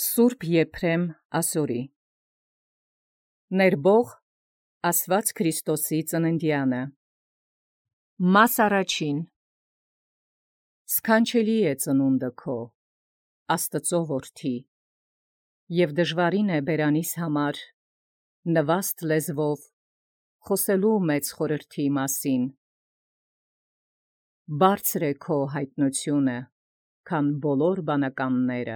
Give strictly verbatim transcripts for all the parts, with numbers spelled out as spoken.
Սուրբ Եփրեմ Ասորի Ներբող Աստված Քրիստոսի ծննդյանը Մաս առաջին Սքանչելի է ծնունդը քո Աստծո որդի և դժվարին է բերանիս համար նվաստ լեզվով խոսելու մեծ խորհրդի մասին Բարձր է քո հայտնությունը քան բոլոր բանականները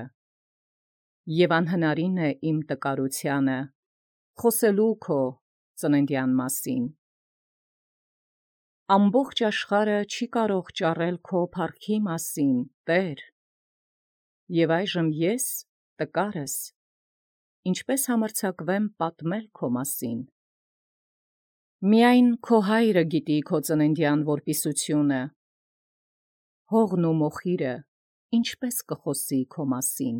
և անհնարին է իմ տկարությանը խոսելու քո ծննդյան մասին Ամբողջ աշխարհը չի կարող ճառել քո փառքի մասին, Տեր, և այժմ ես, տկարս, ինչպես համարձակվեմ պատմել քո մասին Միայն քո հայրը գիտի քո ծննդյան որպիսությունը, հողն ու մոխիրը ինչպես կխոսի քո մասին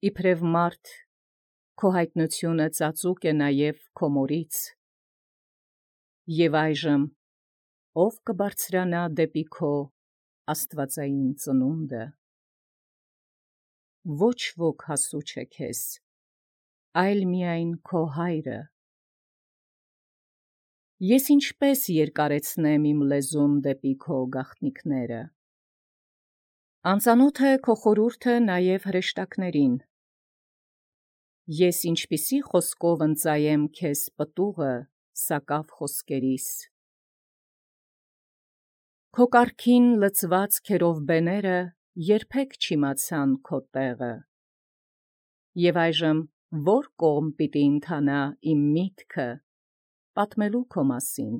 Իբրև մարդ, քո հայտնությունը ծածուկ է նաև քո մորից, և այժմ ո՞վ կբարձրանա դեպի քո աստվածային ծնունդը: Ոչ ոք հասու չէ քեզ, այլ միայն քո հայրը: Ես ինչպե՞ս երկարեցնեմ իմ լեզուն դեպի քո գաղտնիքները: Անծանոթ է քո խորհուրդը նաև հրեշտակներին: Ես ինչպիսի խոսքով ընծայեմ քեզ պտուղը սակավ խոսքերիս: Քո կառքին լցված քերովբեները երբեք չիմացան քո տեղը: Եվ այժմ ո՞ր կողմ պիտի ընթանա իմ միտքը պատմելու քո մասին: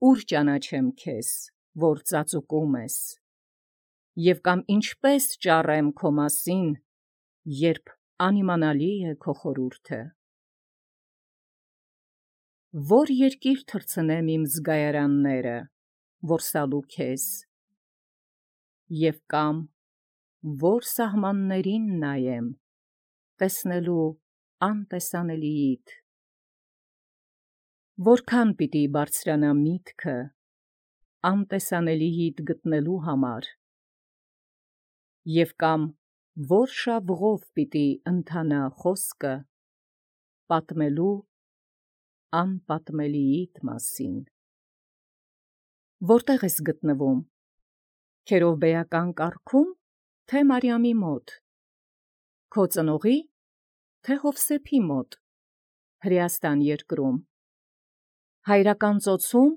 Ո՞ւր ճանաչեմ քեզ, որ ծածուկում ես, և կամ ինչպե՞ս ճառեմ քո մասին, երբ անիմանալի է քո խորհուրդը: Ո՞ր երկիր թռցնեմ իմ զգայարանները, որ սալու քեզ, և կամ ո՞ր սահմաններին նայեմ, տեսնելու անտեսանելիիդ: Որքան պիտի բարձրանա միտքը անտեսանելիիդ գտնելու համար, և կամ ո՞ր շավղով պիտի ընթանա խոսքը պատմելու անպատմելիիդ մասին: Որտե՞ղ ես գտնվում, քերովբեական կառքո՞ւմ, թե Մարիամի մոտ, քո ծնողի՞, թե Հովսեփի մոտ, Հրեաստան երկրում, հայրական ծոցո՞ւմ,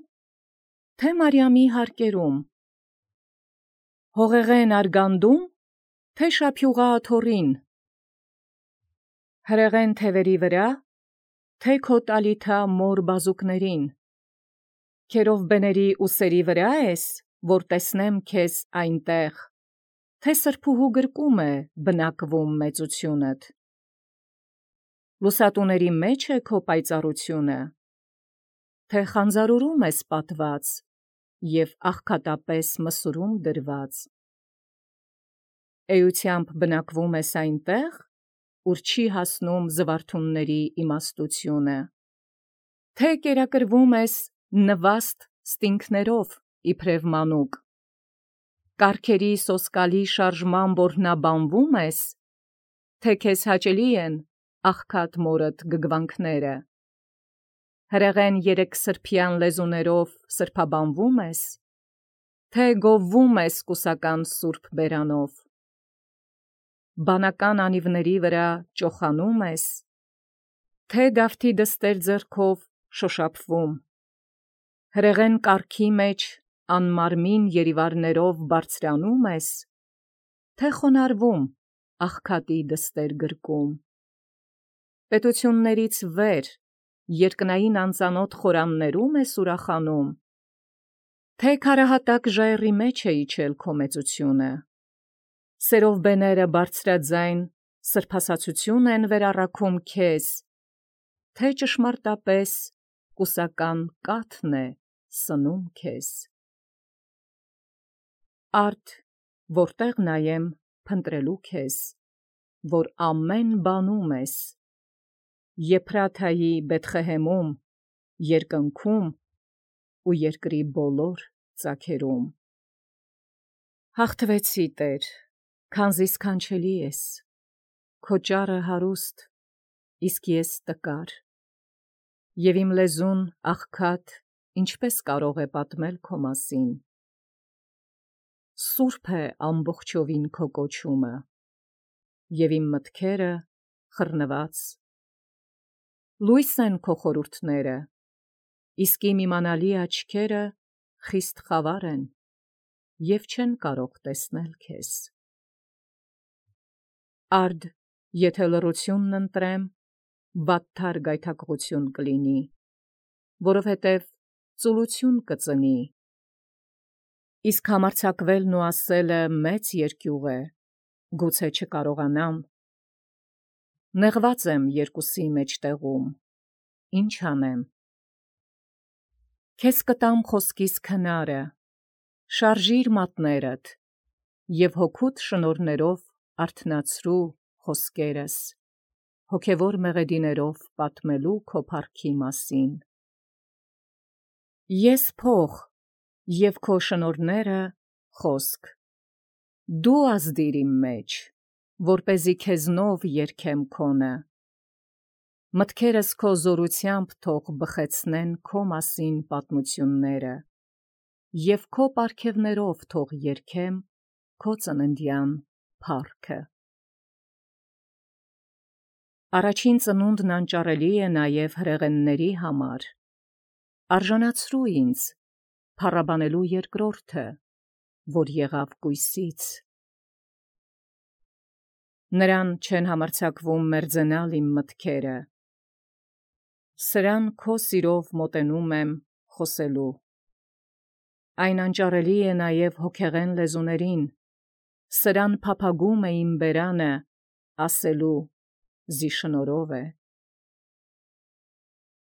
թե Մարիամի հարկերում, հողեղեն արգանդո՞ւմ, թե շափյուղա աթոռին, հրեղեն թևերի վրա՞, թե քո տալիթա մոր բազուկներին, քերովբեների ուսերի վրա՞ ես, որ տեսնեմ քեզ այնտեղ, թե սրբուհու գրկում է բնակվում մեծությունդ: Լուսատուների մեջ է քո պայծառությունը, թե խանձարուրում ես պատված և աղքատապես մսուրում դրված: Էությամբ բնակվում ես այնտեղ, ուր չի հասնում զվարթունների իմաստությունը, թե կերակրվում ես նվաստ ստինգներով իբրև մանուկ, կառքերի սոսկալի շարժման որհնաբանվո՞ւմ ես, թե քեզ հաճելի են աղքատ մորդ գգվանքները, հրեղեն երեքսրբյան լեզուներով սրբաբանվո՞ւմ ես, թե գովվում ես կուսական սուրբ բերանով, բանական անիվների վրա ճոխանո՞ւմ ես, թե դավթի դստեր ձեռքով շոշափվում, հրեղեն կառքի մեջ անմարմին երիվառներով բարձրանո՞ւմ ես, թե խոնարհվում աղքատի դստեր գրկում: Պետություններից վեր երկնային անծանոթ խորաններո՞ւմ ես ուրախանում, թե քարահատակ ժայռի մեջ է իջել քո մեծությունը: Սերովբեները բարձրաձայն սրբասացություն են վերառաքում քեզ, թե ճշմարտապես կուսական կաթն է սնում քեզ: Արդ որտե՞ղ նայեմ փնտրելու քեզ, որ ամեն բանում ես, Եփրաթայի Բեթղեհեմում, երկնքում ու երկրի բոլոր ծագերում: Հաղթվեցի, Տեր, Քանզի սքանչելի ես, քո ճառը հարուստ, իսկ ես տկար, և իմ լեզուն աղքատ, ինչպես կարող է պատմել քո մասին։ Սուրբ է ամբողջովին քո կոչումը, և իմ մտքերը խռնված։ Լույս են քո խորհուրդները, իսկ իմ իմանալի աչքերը խիստ խավար են և չեն կարող տեսնել քեզ։ Արդ, եթե լռությունն ընտրեմ, վատթար գայթակղություն կլինի, որովհետև ծուլություն կծնի, իսկ համարձակվելն ու ասելը մեծ երկյուղ է, գուցե չկարողանամ։ Նեղված եմ երկուսի մեջտեղում, ինչ անեմ։ Քեզ կտամ խոսքիս քնարը, շարժիր մատներդ և հոգուդ շնորհներով արթնացրու խոսքերս, հոգևոր մեղեդիներով պատմելու քո փառքի մասին։ Ես փող և քո շնորհները խոսք, դու ազդիր իմ մեջ, որպեսզի քեզնով երգեմ քոնը, մտքերս քո զորությամբ թող բխեցնեն քո մասին պատմությունները, և քո պարգևներով թող երգեմ քո ծննդյան փառքը։ Առաջին ծնունդն անճարելի է նաև հրեղենների համար, արժանացրու ինձ փառաբանելու երկրորդը, որ եղավ կույսից։ Նրան չեն համարձակվում մերձենալ իմ մտքերը, սրան քո սիրով մոտենում եմ խոսելու։ Այն անճարելի է նաև հոգեղեն լեզուներին, սրան փափագում է իմ բերանը, ասելու զի շնորհով է։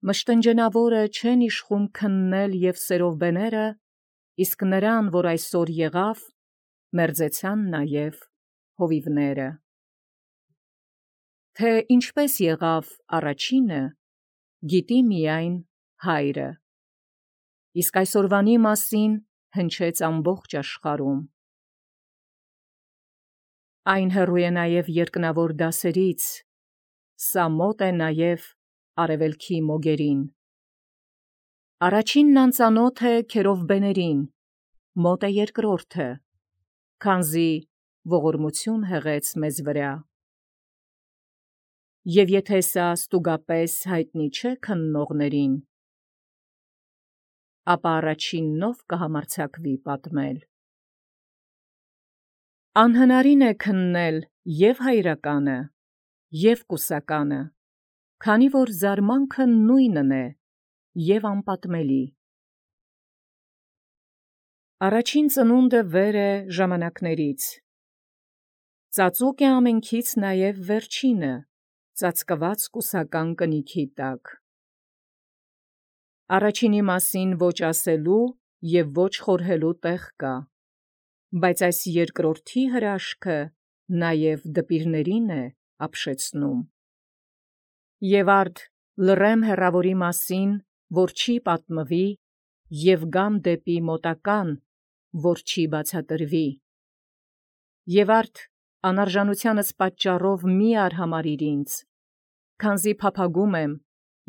Մշտնջենավորը չեն իշխում քննել և սերովբեները, իսկ նրան, որ այսօր եղավ, մերձեցան նաև հովիվները։ Թե ինչպես եղավ առաջինը, գիտի միայն Հայրը, իսկ այսօրվանի մասին հնչեց ամբողջ աշխարհում։ Այն հեռու է նաև երկնավոր դասերից, սա մոտ է նաև արևելքի մոգերին։ Առաջինն անծանոթ է քերովբեներին, մոտ է երկրորդը, քանզի ողորմություն հեղեց մեզ վրա։ Եվ եթե սա ստուգապես հայտնի չէ քննողներին, ապա առաջինն ով կհամարձակվի պատմել։ Անհնարին է քննել և հայրականը, և կուսականը, քանի որ զարմանքը նույնն է և անպատմելի։ Առաջին ծնունդը վեր է ժամանակներից, ծածուկ է ամենքից նաև վերջինը, ծածկված կուսական կնիքի տակ։ Առաջինի մասին ոչ ասելու և ոչ խորհելու տեղ կա, բայց այս երկրորդի հրաշքը նաև դպիրներին է ապշեցնում։ Եվ արդ լռեմ հեռավորի մասին, որ չի պատմվի, և գամ դեպի մոտական, որ չի բացատրվի։ Եվ արդ անարժանությանս պատճառով մի արհամարհիր ինձ, քանզի փափագում եմ,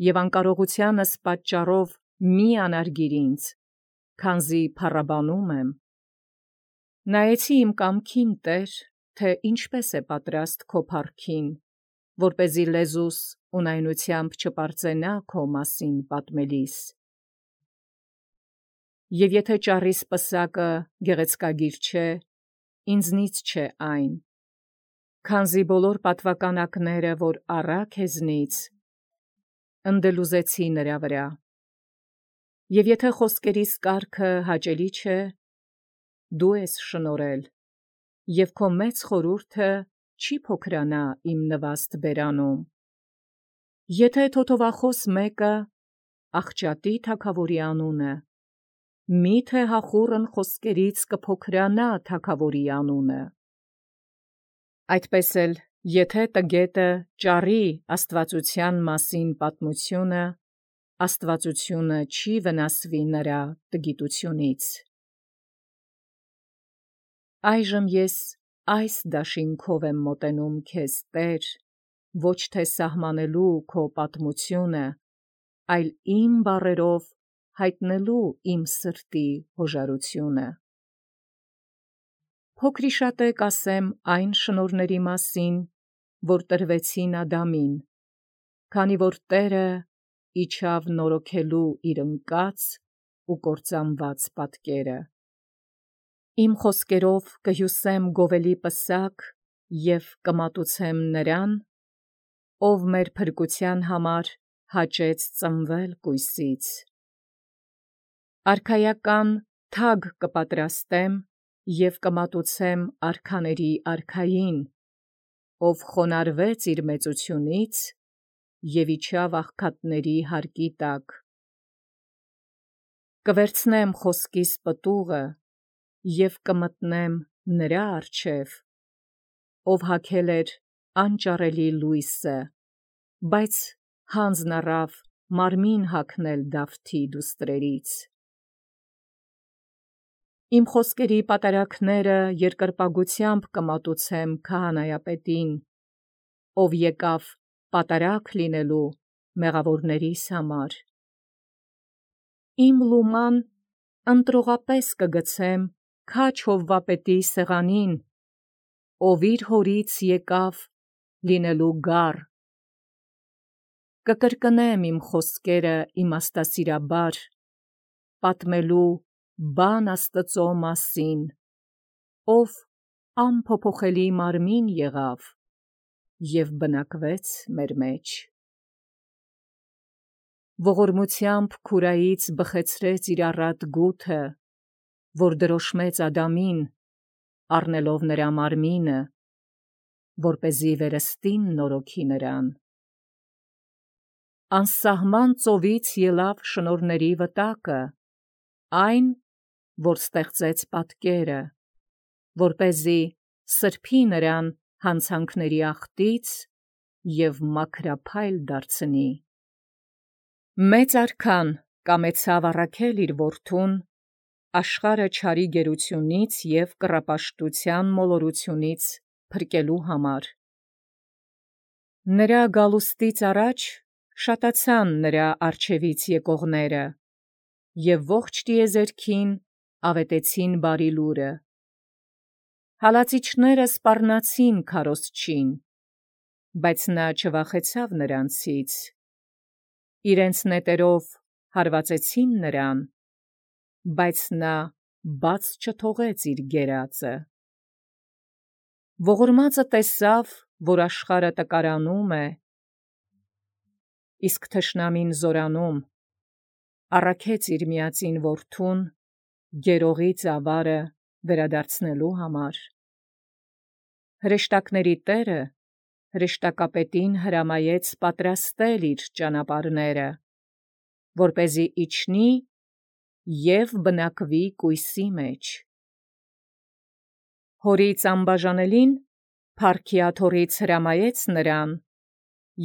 և անկարողությանս պատճառով մի անարգիր ինձ, քանզի փառաբանում եմ։ Նայեցի իմ կամքին, Տեր, թե ինչպես է պատրաստ քո փառքին, որպեսզի լեզուս ունայնությամբ չպարծենա քո մասին պատմելիս։ Եվ եթե ճառիս պսակը գեղեցկագիր չէ, ինձնից չէ այն, քանզի բոլոր պատվականակները, որ առա քեզնից, ընդելուզեցի նրա վրա։ Եվ եթե խոսքերիս կարգը հաճելի չէ, դու ես շնորհել, և քո մեծ խորհուրդը չի փոքրանա իմ նվաստ բերանում։ Եթե թոթովախոս մեկը աղճատի թագավորի անունը, մի՞թե հախուռն խոսքերից կփոքրանա թագավորի անունը։ Այդպես էլ, եթե տգետը ճառի աստվածության մասին պատմությունը, աստվածությունը չի վնասվի նրա տգիտությունից։ Այժմ ես այս դաշինքով եմ մոտենում քեզ Տեր, ոչ թե սահմանելու քո պատմությունը, այլ իմ բառերով հայտնելու իմ սրտի հոժարությունը։ Փոքրիշատե կասեմ այն շնորհների մասին, որ տրվեցին Ադամին, քանի որ Տերը իջավ նորոգելու իր ընկած ու կործանված պատկերը։ Իմ խոսքերով կհյուսեմ գովելի պսակ և կմատուցեմ նրան, ով մեր փրկության համար հաճեց ծնվել կույսից։ Արքայական թագ կպատրաստեմ և կմատուցեմ արքաների արքային, ով խոնարհվեց իր մեծությունից և իջավ աղքատների հարկի տակ։ Կվերցնեմ խոսքիս պտուղը և կմտնեմ նրա առջև, ով հագել էր անճարելի լույսը, բայց հանձն առավ մարմին հագնել Դավթի դուստրերից։ Իմ խոսքերի պատարագները երկրպագությամբ կմատուցեմ քահանայապետին, ով եկավ պատարագ լինելու մեղավորներիս համար։ Իմ լուման ընտրողապես կգցեմ քաջ Հովվապետի սեղանին, ով իր հորից եկավ լինելու գառ։ Կկրկնեմ իմ խոսքերը իմաստասիրաբար, պատմելու բան Աստծո մասին, ով անփոփոխելի մարմին եղավ և բնակվեց մեր մեջ։ Ողորմությամբ քուրայից բխեցրեց իր առատ գութը, որ դրոշմեց Ադամին, առնելով նրա մարմինը, որպեսզի վերստին նորոգի նրան։ Անսահման ծովից ելավ շնորհների վտակը, այն, որ ստեղծեց պատկերը, որպեսզի սրբի նրան հանցանքների աղտից և մաքրափայլ դարձնի։ Մեծ արքան կամեցավ առաքել իր որդուն, աշխարհը չարի գերությունից և կռապաշտության մոլորությունից փրկելու համար։ Նրա գալուստից առաջ շատացան նրա առջևից եկողները և ողջ տիեզերքին ավետեցին բարի լուրը։ Հալածիչները սպառնացին քարոզչին, բայց նա չվախեցավ նրանցից։ Իրենց նետերով հարվածեցին նրան, բայց նա բաց չթողեց իր գերածը։ Ողորմածը տեսավ, որ աշխարհը տկարանում է, իսկ թշնամին զորանում, առաքեց իր միածին որդուն գերողի ծավարը վերադարձնելու համար։ Հրեշտակների Տերը հրեշտակապետին հրամայեց պատրաստել իր ճանապարհները, որպեսզի իջնի և բնակվի կույսի մեջ։ Հորից անբաժանելին փառքի աթոռից հրամայեց նրան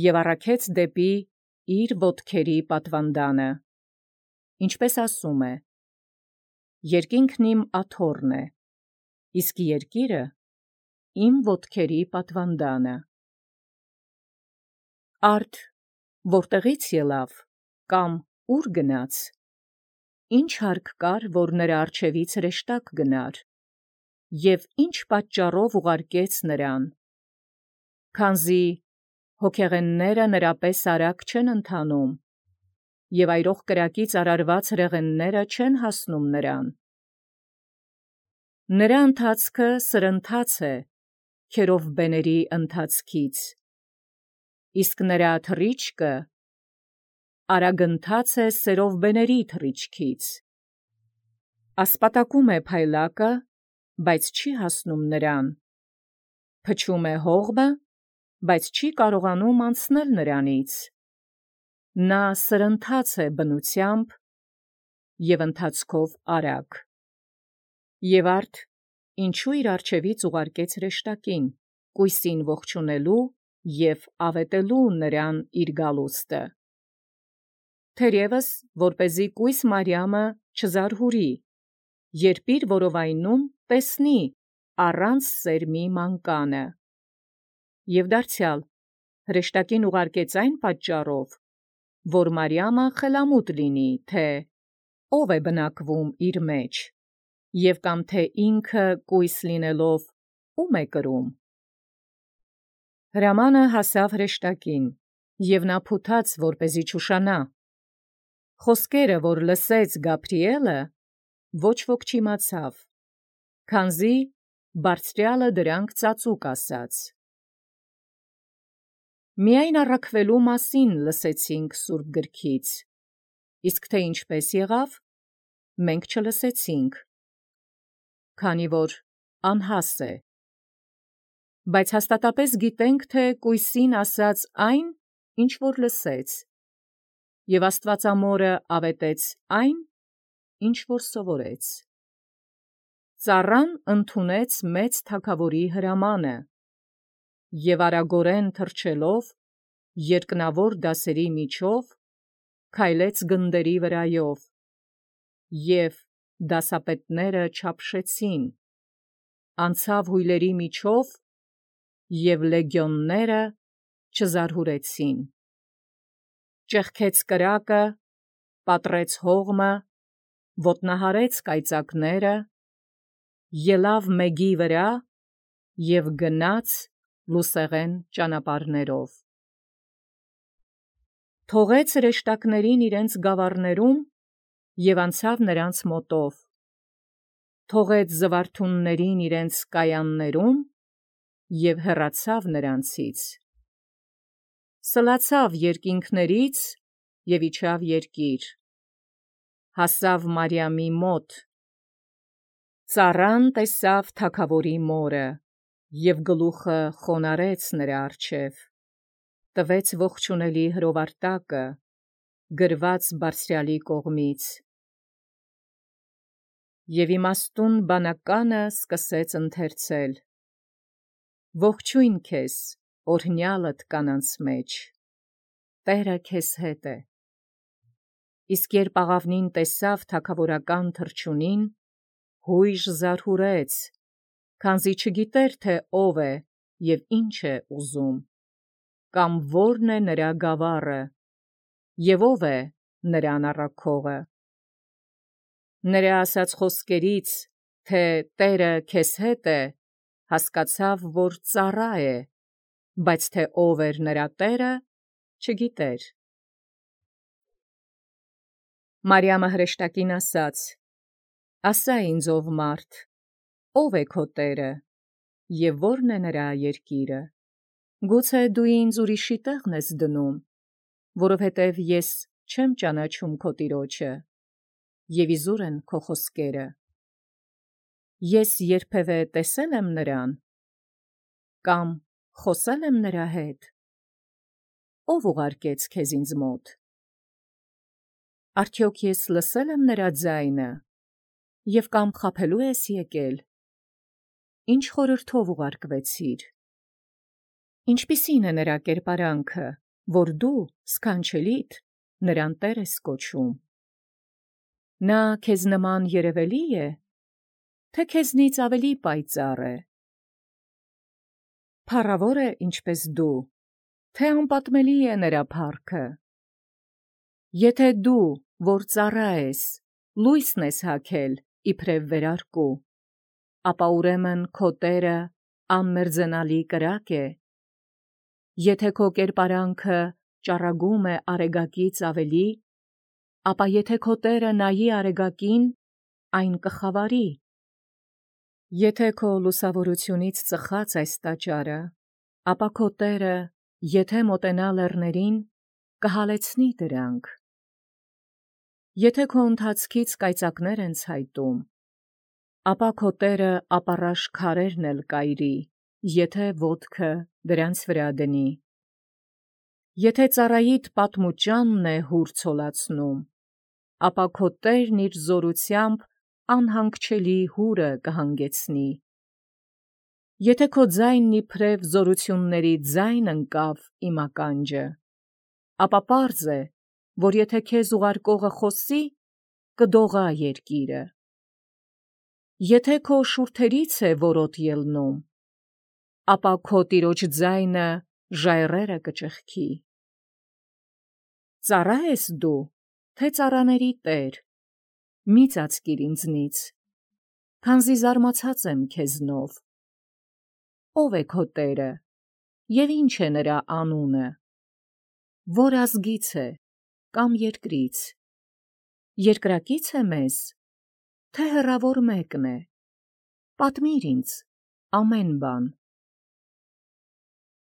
և առաքեց դեպի իր ոտքերի պատվանդանը, ինչպես ասում է. «Երկինքն իմ աթոռն է, իսկ երկիրը իմ ոտքերի պատվանդանը»։ Արդ որտեղի՞ց ելավ, կամ ուր գնաց, ի՞նչ հարկ կար, որ նրա առջևից հրեշտակ գնար, և ի՞նչ պատճառով ուղարկեց նրան։ Քանզի հոգեղենները նրա պես արագ չեն ընթանում, և այրող կրակից արարված ռեղենները չեն հասնում նրան։ Նրա ընթացքը սրընթաց է քերովբեների ընթացքից, իսկ նրա թռիչքը արագընթաց է սերովբեների թռիչքից։ Ասպատակում է փայլակը, բայց չի հասնում նրան, փչում է հողմը, բայց չի կարողանում անցնել նրանից։ Նա սրընթաց է բնությամբ և ընթացքով արագ։ Եվ արդ ինչու իր առջևից ուղարկեց հրեշտակին, կույսին ողջունելու և ավետելու նրան իր գալուստը։ Թերևս որպեսզի կույս Մարիամը չզարհուրի, երբ իր որովայնում տեսնի, առանց սերմի մանկանը։ Եվ դարձյալ հրեշտակին ուղարկեց այն պատճառով, որ Մարիամը խելամուտ լինի, թե ով է բնակվում իր մեջ, և կամ թե ինքը կույս լինելով ում է կրում։ Հրամանը հասավ հրեշտակին, և նա փութաց, որպեսզի չուշանա։ Խոսքերը, որ լսեց Գաբրիելը, ոչ ոք չիմացավ, քանզի բարձրյալը դրանք ծածուկ ասաց։ Միայն առաքվելու մասին լսեցինք Սուրբ գրքից, իսկ թե ինչպես եղավ, մենք չլսեցինք, քանի որ անհաս է։ Բայց հաստատապես գիտենք, թե կույսին ասաց այն, ինչ որ լսեց, և Աստվածամորը ավետեց այն, ինչ որ սովորեց։ Ծառան ընդունեց մեծ թագավորի հրամանը, և արագորեն թռչելով երկնավոր դասերի միջով քայլեց գնդերի վրայով, և դասապետները չափշեցին, անցավ հույլերի միջով, և լեգիոնները չզարհուրեցին։ Ճեղքեց կրակը, պատռեց հողմը, ոտնահարեց կայծակները, ելավ մեգի վրա և գնաց լուսեղեն ճանապարհներով։ Թողեց հրեշտակներին իրենց գավառներում և անցավ նրանց մոտով, թողեց զվարթուններին իրենց կայաններում և հեռացավ նրանցից։ Սլացավ երկինքներից և իջավ երկիր, հասավ Մարիամի մոտ։ Ծառան տեսավ թագավորի մորը և գլուխը խոնարհեց նրա առջև, տվեց ողջունելի հրովարտակը, գրված Բարձրյալի կողմից, և իմաստուն բանականը սկսեց ընթերցել. «Ողջույն քեզ, օրհնյալդ կանանց մեջ, Տերը քեզ հետ է»։ Իսկ երբ աղավնին տեսավ թագավորական թռչունին, հույժ զարհուրեց, քանզի չգիտեր, թե ով է և ինչ է ուզում, կամ որն է նրա գավառը, և ով է նրան առաքողը։ Նրա ասած խոսքերից, թե Տերը քեզ հետ է, հասկացավ, որ ծառա է, բայց թե ով էր նրա Տերը, չգիտեր։ Մարիամը հրեշտակին ասաց. «Ասա ինձ, ով մարդ, ո՞վ է քո Տերը, և ո՞րն է նրա երկիրը։ Գուցե դու ինձ ուրիշի տեղն ես դնում, որովհետև ես չեմ ճանաչում քո տիրոջը, և իզուր են քո խոսքերը։ Ես երբևէ տեսել եմ նրան, կամ խոսել եմ նրա հետ. ո՞վ ուղարկեց քեզ ինձ մոտ։ Արդյոք ես լսել եմ նրա ձայնը, և կամ խաբելու ես եկել։ Ինչ խորհրդով ուղարկվեցիր։ Ինչպիսի՞ն է նրա կերպարանքը, որ դու, սքանչելիդ, նրան Տեր ես կոչում։ Նա քեզ նման երևելի է, թե քեզնից ավելի պայծառ է։ Փառավոր է ինչպես դու, թե անպատմելի է նրա փառքը։ Եթե դու, որ ծառա ես, լույսն ես հագել իբրև վերարկու, ապա ուրեմն քո Տերը անմերձենալի կրակ է։ Եթե քո կերպարանքը ճառագում է արեգակից ավելի, ապա եթե քո Տերը նայի արեգակին, այն կխավարի։ Եթե քո լուսավորությունից ծխաց այս տաճարը, ապա քո Տերը, եթե մոտենա լեռներին, կհալեցնի դրանք։ Եթե քո ընթացքից կայծակներ են ցայտում, ապա քո Տերը ապառաշ քարերն էլ կայրի, եթե ոտքը դրանց վրա դնի։ Եթե ծառայիդ պատմուճանն է հուր ցոլացնում, ապա քո Տերն իր զորությամբ անհանգչելի հուրը կհանգեցնի։ Եթե քո ձայնն իբրև զորությունների ձայն ընկավ իմ ականջը, ապա պարզ է, որ եթե քեզ ուղարկողը խոսի, կդողա երկիրը։ Եթե քո շուրթերից է որոտ ելնում, ապա քո տիրոջ ձայնը ժայռերը կճեղքի։ Ծառա ես դու, թե ծառաների տեր, մի ծածկիր ինձնից, քանզի զարմացած եմ քեզնով։ Ո՞վ է քո տերը, և ինչ է նրա անունը, որ ազգից է, կամ երկրից, երկրակի՞ց է մեզ, թե հեռավոր մեկն է, պատմիր ինձ ամեն բան։